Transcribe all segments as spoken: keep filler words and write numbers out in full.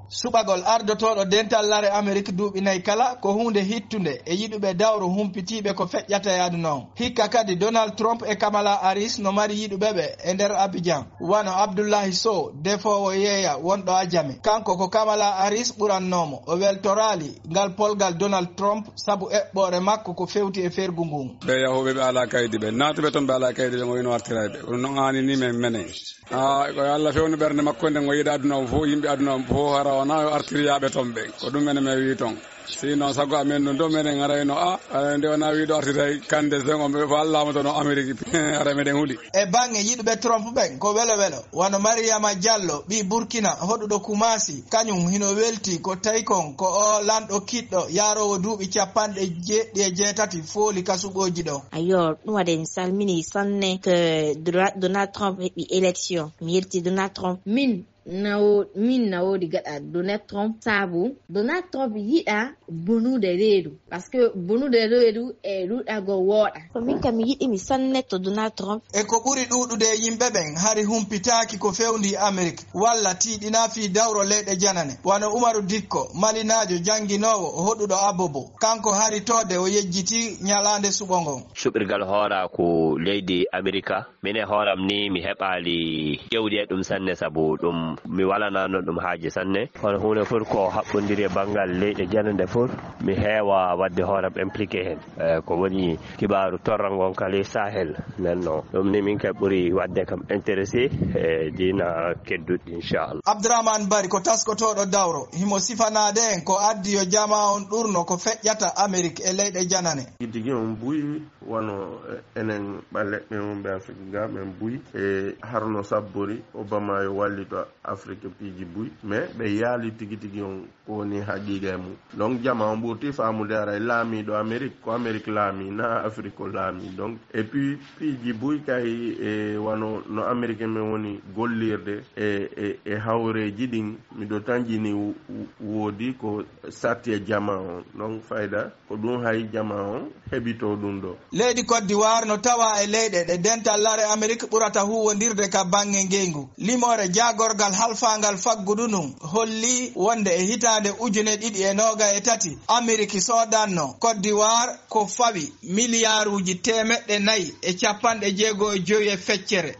Suɓagol ardotooɗo dental lare Amerik duuɓi nayi kala ko huunde hittunde e yiɗuɓe dawro humpitiiɓe ko feƴƴata e aduna on. Hikka kadi Donald Trump e Kamala Harris no mari yiɗuɓe ɓe e nder Abidjan, wano Abdullahi Sow, defoowo yeeya wonɗo Ajame. Kanko ko Kamala Harris ɓurannoomo. O weltoraali ngal polgal Donald Trump sabu eɓɓoore makko ko fewti e fergu ngun. Ɓe yahuɓe ɓe alaa kaydi ɓe, naatuɓe ton ɓe alaa kaydi ɓe, o wino artirayɓe. Kono non aani ni men menen. Ah, ko Allah fewni ɓernde makko nden, o yiɗa aduna o fof, yimɓe aduna o fof, hara wona o artiri yaaɓe ton ɓen. Ko ɗum menen men wi ton. Sinon, sago amen ɗum ɗo menen arayno, ah, aray nde wona wiɗo artiray kande sen on ɓe fof Allah mo tono Amerique. Ara meɗen huli. E bange yiɗuɓe Trump ɓen, ko welo welo. Wano Mariama Diallo, ɓii Burkina, hoɗuɗo Kumasi, kañum hino welti ko tawi kon ko o lanɗo kiɗɗo, yaaroowo duuɓi capanɗe jeeɗiɗi e jeetati fooli ka suɓooji ɗo. Ayo, ɗum waɗi mi salmini sanne ko Dra-, Donald Trump heɓi élection. Mi yelti Donald Trump. Min na wo-, min na woodi gaɗa Donald Trump, sabu Donald Trump yiɗa bonude reedu, parce que bonude reedu e ruɗago wooɗa. Ko min kam mi yiɗi mi sanne to Donald Trump. E ko ɓuri ɗuuɗude e yimɓe ɓen hari humpitaaki ko fewndi Amerik, walla tiiɗina fii dawro leyɗe janane, wano Umaru Dikko, malinaajo jannginoowo hoɗuɗo Abobo. Kanko hari toode o yejjiti ñalaande suɓo ngon. Suɓirgal hoora ko leydi Amerika. Min e hooram ni mi heɓaali ƴewdi e ɗum sanne, sabu ɗum mi walanano ɗum haaji sanne. Kono huunde fof ko haɓɓondiri e banngal leyɗe janande fof, mi heewa waɗde hooram impliqué heen. Eh, ko woni kibaaru torra ngon kala e Sahel. Nden no ɗum ni min kay ɓuri waɗde kam intéressé e diina kedduɗi, inchallah. Abdourahmane Bari ko taskotooɗo dawro, himo sifanaade en ko addi yo jamaa on ɗurno ko feƴƴata Amerik e leyɗe janane. Tigi tigi on buy wano, eh, enen ɓaleɓɓe wonɓe Afrique ga, men buy e harno sabbori Obama yo wallito Afrique piiji buy, mais ɓe yaali tigi tigi on ko woni haqiqa e mum. Donc jama on ɓurti faamude aray laamiɗo Amérique ko Amérique laami, na Afrique ko laami. Donc et puis piiji buy kay e wano no Amérique men woni gollirde e, e, e hawreji ɗin, miɗo tanjini wo-, woodi ko satti e jama on. Donc fayda ko ɗum hay jama on heɓito ɗum ɗo. Leydi Côte d'Ivoire no tawa e leyɗe ɗe dental lare Amerik ɓurata huwondirde ka bange ngeyngu. Limoore jaagorgal halfaangal faggudu ndun holli wonde e hitaande ujune ɗiɗi e nooga e tati, Amerik soodanno Côte d'Ivoire ko fawi miliyaaruuji teemeɗɗe nayi e capanɗe jeego e jowi e feccere.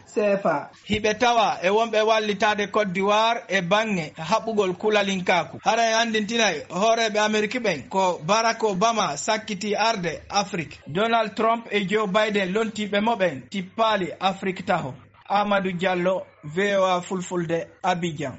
Hiɓe tawa e wonɓe wallitaade Côte d'Ivoire e banŋe haɓugol kulalinkaaku. Hara en anndintinay hooreeɓe Amerik ɓen ko Barack Obama sakkiti arde Afrik. Donald Trump e Joe Biden lontiiɓe mo ɓen tippaali Afrik taho. Amadou Diallo, V O A Fulfulde, Abidjan.